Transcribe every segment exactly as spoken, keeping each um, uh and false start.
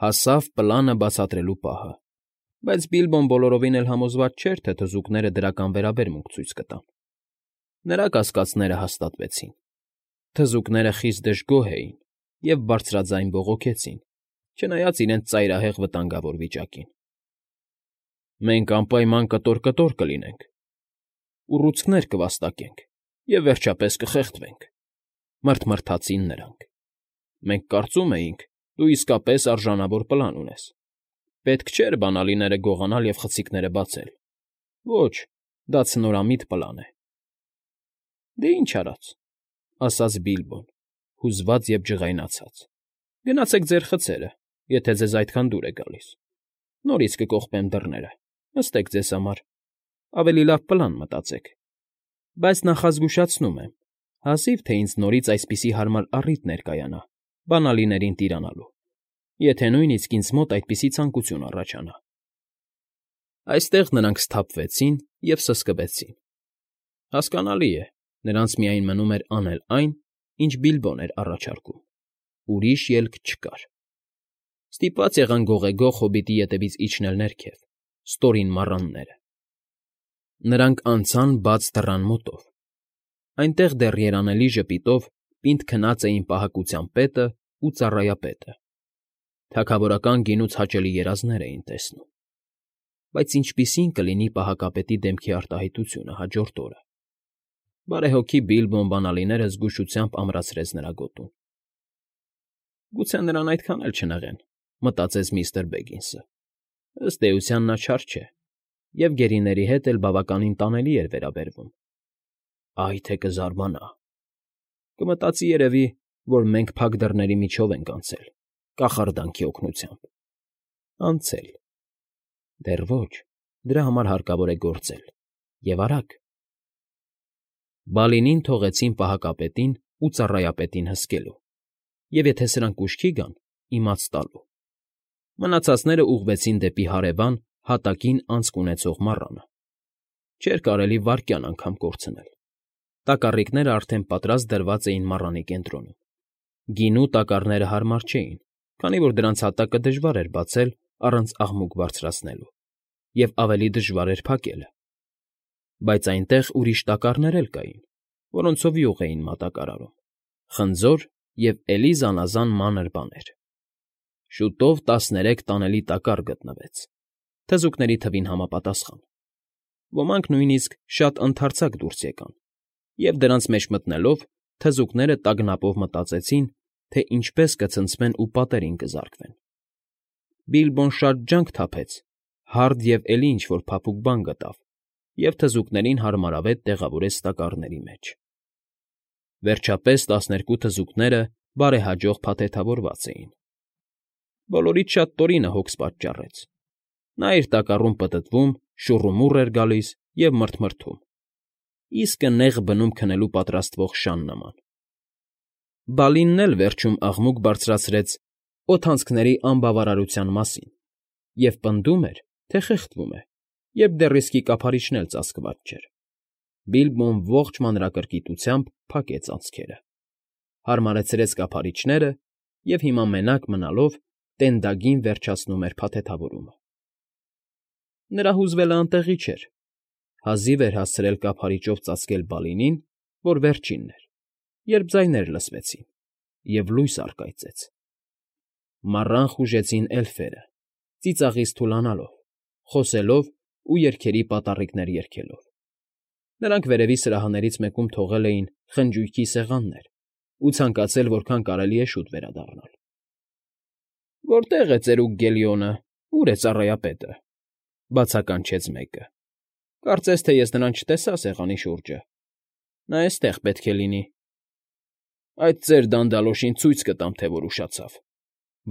Հասավ պլանը բացատրելու պահը, բայց Բիլբոն բոլորովին էլ համոզված չէր, թե թզուկները դրական վերաբերմունք ցույց կտան։ Նրա կասկածները հաստատվեցին։ Թզուկները խիստ դժգոհ էին և բարձրաձայն բողոքեցին, չնայած իրենց ծայրահեղ վտանգավոր վիճակին։ «Մենք անպայման կտոր֊կտոր կլինենք, ուռուցքներ կվաստակենք և, վերջապես, կխեղդվենք,֊ մռթմռթացին նրանք։ «Մենք կարծում էինք, դու իսկապես արժանավոր պլան ունես. պետք չէր բանալիները գողանալ և խցիկները բացել։ Ոչ, դա ցնորամիտ պլան է»։ «Դե ինչ արած,֊ ասաց Բիլբոն, հուզված և ջղայնացած,֊ գնացեք ձեր խցերը, եթե ձեզ այդքան դուր է գալիս։ Նորից կկողպեմ դռները, նստեք ձեզ համար, ավելի լավ պլան մտածեք։ Բայց նախազգուշացնում եմ, հազիվ թե ինձ նորից այսպիսի հարմար առիթ ներկայանա բանալիներին տիրանալու, եթե նույնիսկ ինձ մոտ այդպիսի ցանկություն առաջանա»։ Այստեղ նրանք սթափվեցին և սսկվեցին։ Հասկանալի է, նրանց միայն մնում էր անել այն, ինչ Բիլբոն էր առաջարկում. ուրիշ ելք չկար։ Ստիպված եղան գողեգող հոբիտի ետևից իջնել ներքև, ստորին մառանները։ Նրանք անցան բաց դռան մոտով։ Այնտեղ դեռ երանելի ժպիտով պինդ քնած էին պահակության պետն ու ծառայապետը, թագավորական գինուց հաճելի երազներ էին տեսնում։ Բայց ինչպիսի՞ն կլինի պահակապետի դեմքի արտահայտությունը հաջորդ օրը։ Բարեհոգի Բիլբոն բանալիները զգուշությամբ ամրացրեց նրա գոտուն։ «Գուցե նրան այդքան էլ չնեղեն,֊ մտածեց միստր Բեգինսը։ Ըստ էության նա չար չէ և գերիների հետ էլ բավականին տանելի էր վերաբերվում։ Այ թե կզարմանա… Կմտածի, երևի, որ մենք փակ դռների միջով ենք անցել, կախարդանքի օգնությամբ… Անցել… Դեռ ոչ, դրա համար հարկավոր է գործել, և արագ»։ Բալինին թողեցին պահակապետին ու ծառայապետին հսկելու և, եթե սրանք ուշքի գան, իմաց տալու։ Մնացածները ուղղվեցին դեպի հարևան, հատակին անցք ունեցող մառանը։ Չէր կարելի վայրկյան անգամ կորցնել։ Տակառիկներն արդեն պատրաստ դրված էին մառանի կենտրոնում։ Գինու տակառները հարմար չէին, քանի որ դրանց հատակը դժվար էր բացել առանց աղմուկ բարձրացնելու, և ավելի դժվար էր փակելը։ Բայց այնտեղ ուրիշ տակառներ էլ կային, որոնցով յուղ էին մատակարարում, խնձոր և էլի զանազան մանր բաներ։ Շուտով տասներեք տանելի տակառ գտնվեց, թզուկների թվին համապատասխան։ Ոմանք նույնիսկ շատ ընդարձակ դուրս եկան, և դրանց մեջ մտնելով՝ թզուկները տագնապով մտածեցին, թե ինչպես կցնցվեն ու պատերին կզարկվեն։ Բիլբոն շատ ջանք թափեց, հարդ և էլի ինչ֊որ փափուկ բան գտավ և թզուկներին հարմարավետ տեղավորեց տակառների մեջ։ Վերջապես տասներկու թզուկները բարեհաջող փաթեթավորված էին։ Բոլորից շատ Տորինը հոգս պատճառեց։ Նա իր տակառում պտտվում, շուռումուռ էր գալիս և մռթմռթում, իսկը նեղ բնում քնելու պատրաստվող շան նման։ Բալինն էլ վերջում աղմուկ բարձրացրեց օդանցքների անբավարարության մասին և պնդում էր, թե խեղդվում է, երբ դեռ իսկի կափարիչն էլ ծածկված չէր։ Բիլբոն ողջ մանրակրկիտությամբ փակեց անցքերը, հարմարեցրեց կափարիչները և հիմա մենակ մնալով տենդագին վերջացնում էր փաթեթավորումը։ Նրա հուզվելն անտեղի չէր։ Հազիվ էր հասցրել կափարիչով ծածկել Բալինին, որ վերջինն էր, երբ ձայներ լսվեցին, և լույս առկայծեց։ Մառան խուժեցին էլֆերը, ծիծաղից թուլանալով, խոսելով ու երգերի պատառիկներ երգելով։ Նրանք վերևի սրահներից մեկում թողել էին խնջույքի սեղաններ ու ցանկացել որքան կարելի է շուտ վերադառնալ։ «Որտե՞ղ է ծերուկ Գելիոնը, ո՞ւր է ծառայապետը,֊ բացականչեց մեկը։ Կարծես թե ես նրան չտեսա սեղանի շուրջը։ Նա էստեղ պետք է լինի»։ «Այդ ծեր դանդալոշին ցույց կտամ, թե որ ուշացավ,֊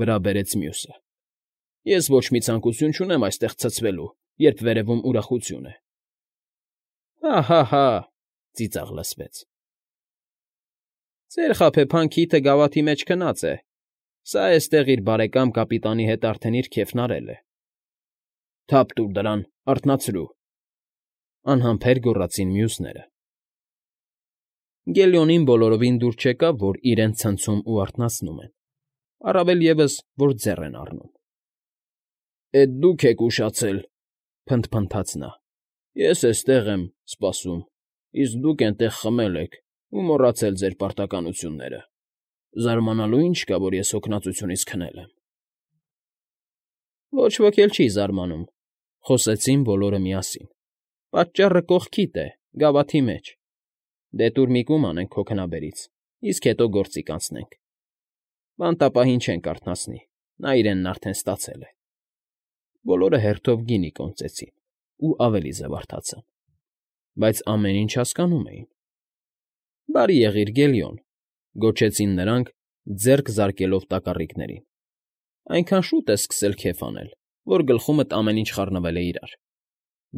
վրա բերեց մյուսը։ Ես ոչ մի ցանկություն չունեմ այստեղ ցցվելու, երբ վերևում ուրախություն է»։ «Հա՛֊հա՛֊հա՛,֊ ծիծաղ լսվեց։ Ծեր խաբեբան քիթը գավաթի մեջ քնած է, սա էստեղ իր բարեկամ կապիտանի հետ արդեն իր քեֆն արել է»։ «Թափ տուր դրան, արթնացրու,֊ անհամբեր գոռացին մյուսները։ Գելիոնին բոլորովին դուր չեկավ, որ իրենց ցնցում ու արթնացնում են, առավել ևս, որ ձեռ են առնում։ Էդ դուք եք ուշացել,֊ փնթփնթաց նա։֊ Ես էստեղ եմ սպասում, իսկ դուք էնտեղ խմել եք ու մոռացել ձեր պարտականությունները… Զարմանալու ինչ կա, որ ես հոգնածությունից քնել եմ… Ոչ ոք էլ չի զարմանում,֊ խոսեցին բոլորը միասին։֊ Պատճառը կողքիդ է, գավաթի մեջ… Դե տուր մի կում անենք քո քնաբերից, իսկ հետո գործի կանցնենք… Բանտապահին չենք արթնացնի, նա իրենն արդեն ստացել է… Բոլորը հերթով գինի կոնծեցին ու ավելի զվարթացան, բայց ամեն ինչ հասկանում էին։ ֊ Բարի եղիր, Գելիոն,֊ գոչեցին նրանք, ձեռք զարկելով տակառիկներին։֊ Այնքան շուտ ես սկսել քեֆ անել, որ գլխումդ ամեն ինչ խառնվել է իրար…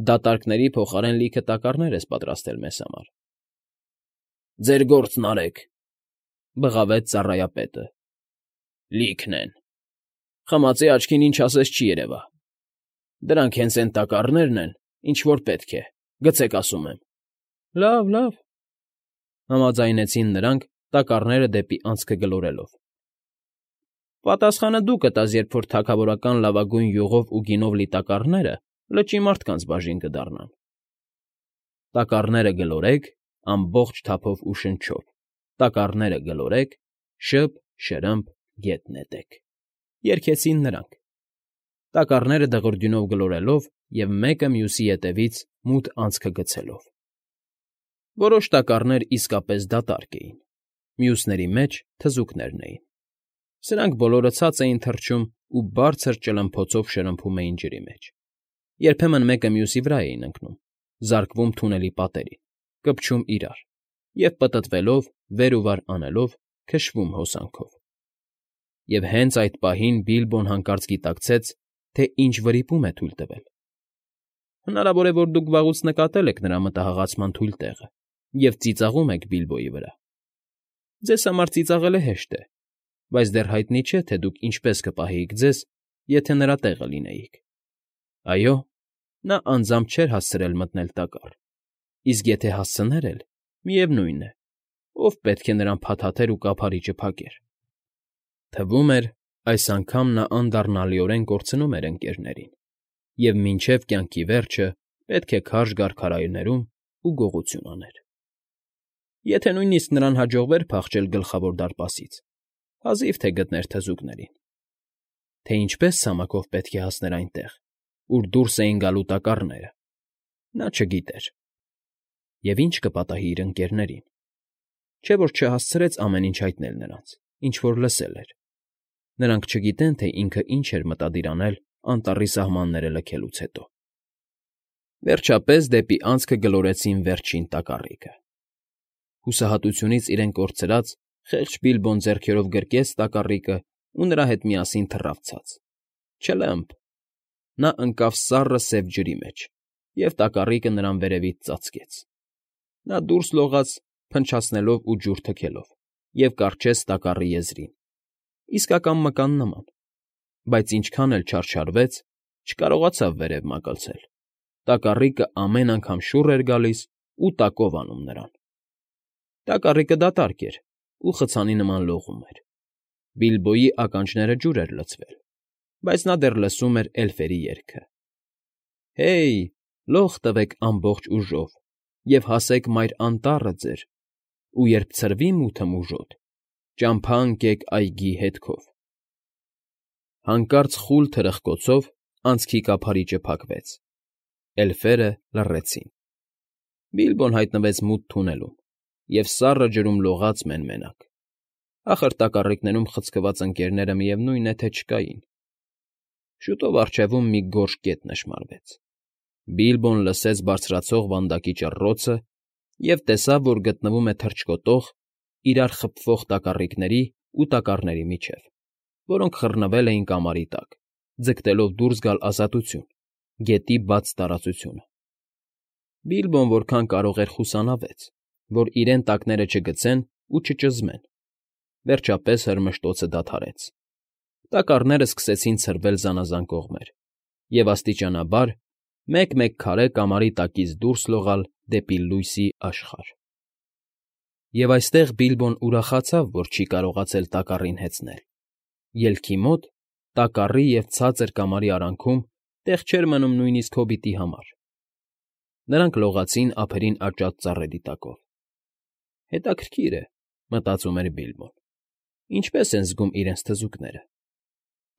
Դատարկների փոխարեն լիքը տակառներ ես պատրաստել մեզ համար… ֊ Ձեր գործն արեք,֊ բղավեց ծառայապետը։ ֊ Լիքն են… Խմածի աչքին ինչ ասես չի երևա… Դրանք հենց էն տակառներն են, ինչ որ պետք է, գցեք, ասում եմ… ֊ Լավ, լավ,֊ համաձայնեցին նրանք՝ տակառները դեպի անցքը գլորելով։ ֊ Պատասխանը դու կտաս, երբ որ թագավորական լավագույն յուղով ու գինով լի տակառները լճի մարդկանց բաժին կդառնան… Տակառները գլորեք ամբողջ թափով ու շնչով, տակառները գլորեք, շըրը՛մփ, շըրը՛մփ, գետ նետեք…֊ երգեցին նրանք, տակառները դղրդյունով գլորելով և մեկը մյուսի ետևից մութ անցքը գցելով։ Որոշ տակառներ իսկապես դատարկ էին, մյուսների մեջ թզուկներն էին… Սրանք բոլորը ցած էին թռչում ու բարձր ճլմփոցով շրմփում էին ջրի մեջ, երբեմն մեկը մյուսի վրա էին ընկնում, զարկվում թունելի պատերին, կպչում իրար և, պտտվելով, վեր ու վար անելով, քշվում հոսանքով… Եվ հենց այդ պահին Բիլբոն հանկարծ գիտակցեց, թե ինչ վրիպում է թույլ տվել… Հնարավոր է, որ դուք վաղուց նկատել եք նրա մտահղացման թույլ տեղը և ծիծաղում եք Բիլբոյի վրա… Ձեզ համար ծիծաղելը հեշտ է, բայց դեռ հայտնի չէ, թե դուք ինչպես կպահեիք ձեզ, եթե նրա տեղը լինեիք… Այո, նա անձամբ չէր հասցրել մտնել տակառ, իսկ եթե հասցներ էլ, միևնույն է, ով պետք է նրան փաթաթեր ու կափարիչը փակեր… Թվում էր, այս անգամ նա անդառնալիորեն կորցնում էր ընկներներին և մինչև կյանքի վերջը պետք է քարշ գար քարայրներում ու գողություն աներ… Եթե նույնիսկ նրան հաջողվեր փախչել Գլխավոր դարպասից, հազիվ թե գտներ թզուկներին… Թե ինչպես ցամաքով պետք է հասներ այնտեղ, ուր դուրս էին գալու տակառները, նա չգիտեր… Եվ ինչ կպատահի իր ընկներներին… Չէ՞ որ չհասցրեց ամեն ինչ հայտնել նրանց, ինչ որ լսել էր… Նրանք չգիտեն, թե ինքը ինչ էր մտադիր անել անտառի սահմանները լքելուց հետո… Վերջապես դեպի անցքը գլորեցին վերջին տակառիկը… Հուսահատությունից իրեն կորցրած, խեղճ Բիլբոն ձեռքերով գրկեց տակառիկն ու նրա հետ միասին թռավ ցած… Չլը՛մփ… Նա ընկավ սառը սև ջրի մեջ, և տակառիկը նրան վերևից ծածկեց… Նա դուրս լողաց, փնչացնելով ու ջուր թքելով, և կառչեց տակառի եզրին, իսկական մկան նման, բայց ինչքան էլ չարչարվեց, չկարողացավ վերև մագլցել… Տակառիկը ամեն անգամ շուռ էր գալիս ու տակով անում նրան… Տակառիկը դատարկ էր ու խցանի նման լողում էր… Բիլբոյի ականջները ջուր էր լցվել, բայց նա դեռ լսում էր էլֆերի երգը. Հե՜յ, լող տվեք ամբողջ ուժով և հասեք մայր անտառը ձեր, ու երբ ցրվի մութը մուժոտ, ճամփա ընկեք այգի հետքով… Հանկարծ խուլ թրխկոցով անցքի կափարիչը փակվեց… Էլֆերը լռեցին… Բիլբոն հայտնվեց մութ թունելում և սառը ջրում լողաց մեն֊մենակ… Ախր տակառիկներում խցկված ընկներները միևնույն է, թե չկային… Շուտով առջևում մի գորշ կետ նշմարվեց… Բիլբոն լսեց բարձրացող վանդակի ճռռոցը և տեսավ, որ գտնվում է թռչկոտող, իրար խփվող տակառիկների ու տակառների միջև, որոնք խռնվել էին կամարի տակ, ձգտելով դուրս գալ ազատություն, գետի բաց տարածությունը… Բիլբոն որքան կարող էր խուսանավեց, որ իրեն տակները չգցեն ու չճզմեն… Վերջապես հրմշտոցը դադարեց… Տակառներն սկսեցին ցրվել զանազան կողմեր և աստիճանաբար մեկ֊մեկ քարե կամարի տակից դուրս լողալ դեպի լույսի աշխարհ… Եվ այստեղ Բիլբոն ուրախացավ, որ չի կարողացել տակառին հեծնել… Ելքի մոտ, տակառի և ցածր կամարի արանքում տեղ չէր մնում նույնիսկ հոբիտի համար։ Նրանք լողացին ափերին աճած ծառերի տակով։ Հետաքրքիր է, մտածում էր Բիլբոն, ինչպես են զգում իրենց թզուկները։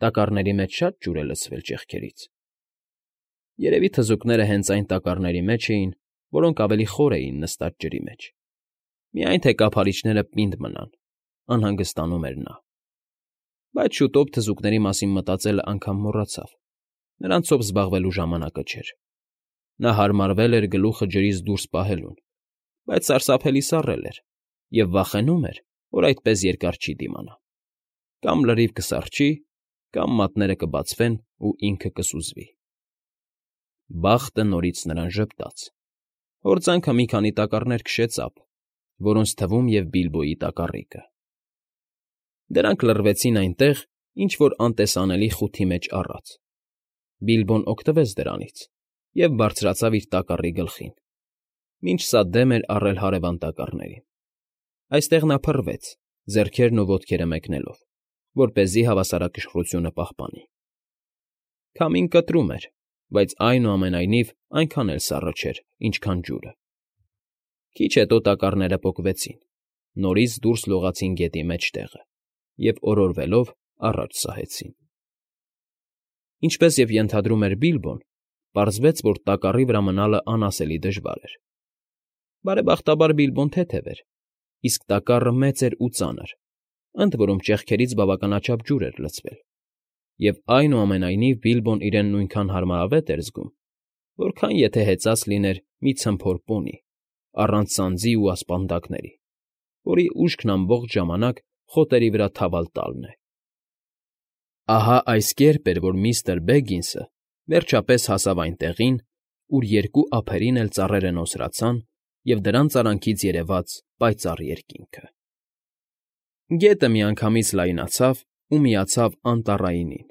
Տակառների մեջ շա՞տ ջուր է լցվել ճեղքերից։ Երևի թզուկները հենց այն տակառների մեջ էին, որոնք ավելի խոր էին նստած ջրի մեջ։ Միայն թե կափարիչները պինդ մնան, անհանգստանում էր նա։ Բայց շուտով թզուկների մասին մտածելը անգամ մոռացավ։ Նրանցով զբաղվելու ժամանակը չէր։ Նա հարմարվել էր գլուխը ջրից դուրս պահելուն, բայց սարսափելի սառել էր և վախենում էր, որ այդպես երկար չի դիմանա։ Կամ լրիվ կսառչի, կամ մատները կբացվեն ու ինքը կսուզվի։ Բախտը նորից նրան ժպտաց։ Հորձանքը մի քանի տակառներ քշեց ափ, որոնց թվում և Բիլբոյի տակառիկը։ Դրանք լռվեցին այնտեղ, ինչ֊որ անտեսանելի խութի մեջ առած։ Բիլբոն օգտվեց դրանից և բարձրացավ իր տակառի գլխին, մինչ սա դեմ էր առել հարևան տակառներին։ Այստեղ նա փռվեց, ձեռքերն ու ոտքերը մեկնելով, որպեսզի հավասարակշռությունը պահպանի։ Քամին կտրում էր, բայց այնուամենայնիվ այնքան էլ սառը չէր, ինչքան ջուրը։ Քիչ հետո տակառները պոկվեցին, նորից դուրս լողացին գետի մեջտեղը և օրորվելով առաջ սահեցին։ Ինչպես և ենթադրում էր Բիլբոն, պարզվեց, որ տակառի վրա մնալը անասելի դժվար էր։ Բարեբախտաբար Բիլբոն թեթև էր, իսկ տակառը մեծ էր ու ծանր, ընդ որում ճեղքերից բավականաչափ ջուր էր լցվել, և այնուամենայնիվ Բիլբոն իրեն նույնքան հարմարավետ էր զգում, որքան եթե հեծած լիներ մի ցմփոր պոնի, առանց սանձի ու ասպանդակների, որի ուշքն ամբողջ ժամանակ խոտերի վրա թավալ տալն է։ Ահա այս կերպ էր, որ միստր Բեգինսը վերջապես հասավ այն տեղին, ուր երկու ափերին էլ ծառերը նոսրացան և դրանց արանքից երևաց պայծառ երկինքը։ Գետը միանգամից լայնացավ ու միացավ Անտառայինին,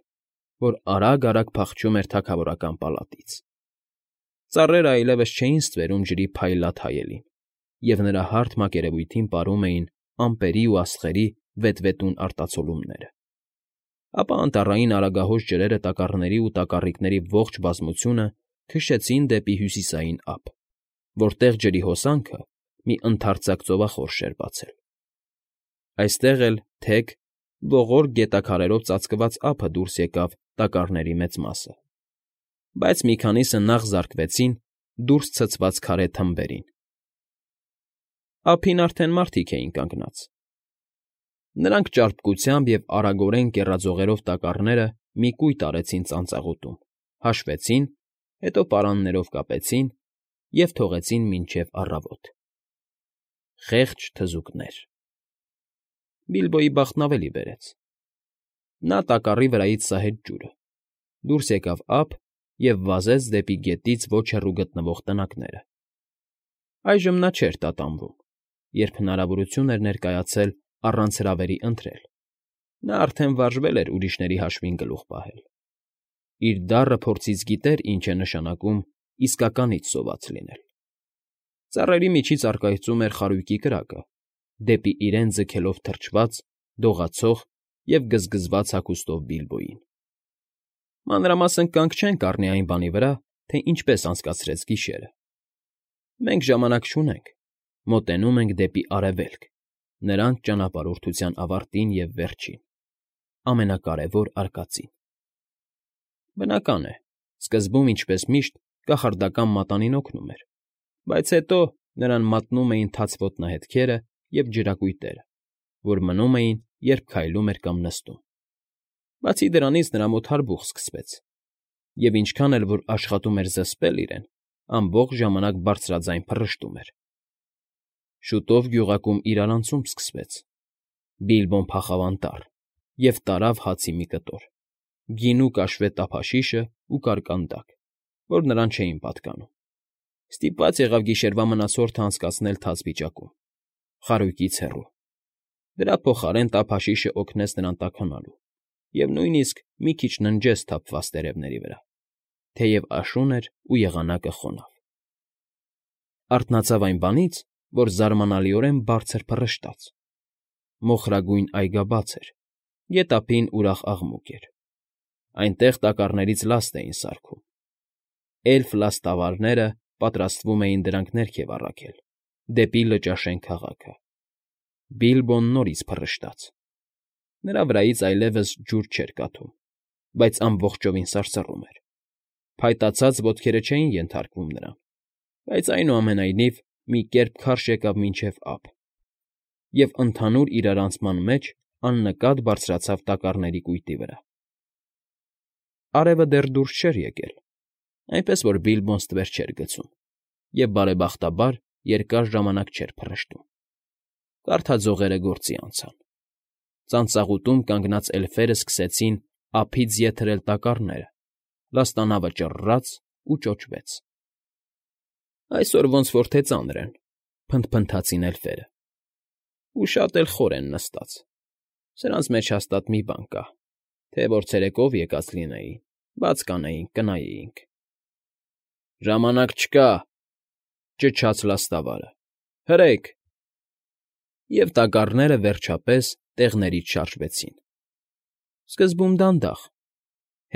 որ արագ֊արագ փախչում էր թագավորական պալատից։ Ծառերն այլևս չէին ստվերում ջրի փայլատ հայելին, և նրա հարթ մակերևույթին պարում էին ամպերի ու աստղերի վետվետուն արտացոլումները։ Ապա անտառային արագահոս ջրերը տակառների ու տակառիկների ողջ բազմությունը քշեցին դեպի հյուսիսային ափ, որտեղ ջրի հոսանքը մի ընդարձակ ծովախորշ էր բացել։ Այստեղ էլ թեք, ողորկ գետաքարերով ծածկված ափը դուրս եկավ տակառների մեծ մասը, բայց մի քանիսը նախ զարկվեցին դուրս ցցված քարե թմբերին։ Ափին արդեն մարդիկ էին կանգնած։ Նրանք ճարպկությամբ և արագորեն կեռաձողերով տակառները մի կույտ արեցին ծանծաղուտում, հաշվեցին, հետո պարաններով կապեցին և թողեցին մինչև առավոտ։ Խեղճ թզուկներ… Բիլբոյի բախտն ավելի բերեց։ Նա տակառի վրայից սահեց ջուրը, դուրս եկավ ափ և վազեց դեպի գետից ոչ հեռու գտնվող տնակները։ Այժմ նա չէր տատանվում, երբ հնարավորություն էր ներկայացել առանց հրավերի ընթրել։ Նա արդեն վարժվել էր ուրիշների հաշվին գլուխ պահել։ Իր դառը փորձից գիտեր ինչ է նշանակում իսկականից սոված լինել։ Ծառերի միջից առկայծում էր խարույկի կրակը, դեպի իրեն ձգելով թրջված, դողացող և գզգզված հագուստով Բիլբոյին։ Մանրամասն կանգ չենք առնի այն բանի վրա, թե ինչպես անցկացրեց գիշերը։ Մենք ժամանակ չունենք, մոտենում ենք դեպի Արևելք, նրանց ճանապարհորդության ավարտին և վերջին, ամենակարևոր արկածին։ Բնական է, սկզբում, ինչպես միշտ, կախարդական մատանին օգնում էր, բայց հետո նրան մատնում էին թաց ոտնահետքերը և ջրակույտերը, որ մնում էին, երբ քայլում էր կամ նստում։ Բացի դրանից նրա մոտ հարբուխ սկսվեց, և ինչքան էլ որ աշխատում էր զսպել իրեն, ամբողջ ժամանակ բարձրաձայն փռշտում էր։ Շուտով գյուղակում իրարանցում սկսվեց։ Բիլբոն փախավ անտառ և տարավ հացի մի կտոր, գինու կաշվե տափաշիշն ու կարկանդակ, որ նրան չէին պատկանում։ Ստիպված եղավ գիշերվա մնացորդն անցկացնել թաց վիճակում, խարույկից հեռու։ Դրա փոխարեն տափաշիշն օգնեց նրան տաքանալու և նույնիսկ մի քիչ ննջեց թափված տերևների վրա, թեև աշուն էր ու եղանակը խոնավ։ Արթնացավ այն բանից, որ զարմանալիորեն բարձր փռշտաց։ Մոխրագույն այգաբաց էր, գետափին ուրախ աղմուկ էր։ Այնտեղ տակառներից լաստ էին սարքում։ Էլֆ լաստավարները պատրաստվում էին դրանք ներքև առաքել, դեպի Լճաշեն քաղաքը։ Բիլբոն նորից փռշտաց. նրա վրայից այլևս ջուր չէր կաթում, բայց ամբողջովին սարսռում էր։ Փայտացած ոտքերը չէին ենթարկվում նրան, բայց այնուամենայնիվ մի կերպ քարշ եկավ մինչև ափ և ընդհանուր իրարանցման մեջ աննկատ բարձրացավ տակառների կույտի վրա։ Արևը դեռ դուրս չէր եկել, այնպես որ Բիլբոն ստվեր չէր գցում և, բարեբախտաբար, երկար ժամանակ չէր փռշտում։ Կարթաձողերը գործի անցան։ Ծանծաղուտում կանգնած էլֆերն սկսեցին ափից ետ հրել տակառները, լաստանավը ճռռաց ու ճոճվեց։ «Այսօր ոնց որ թե ծանր են,֊ փնթփնթացին էլֆերը,֊ ու շատ էլ խոր են նստած։ Սրանց մեջ հաստատ մի բան կա, թե որ ցերեկով եկած լինեին, բաց կանեինք, կնայեինք»։ «Ժամանակ չկա,֊ ճչաց լաստավարը,֊ հրե՛ք»։ Եվ տակառները, վերջապես, տեղներից շարժվեցին։ Սկզբում դանդաղ,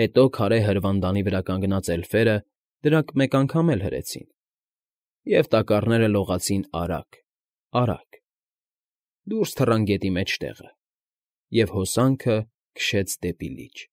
հետո քարե հրվանդանի վրա կանգնած էլֆերը դրանք մեկ անգամ էլ հրեցին, և տակառները լողացին արագ, արագ, դուրս թռան գետի մեջտեղը, և հոսանքը քշեց դեպի լիճ։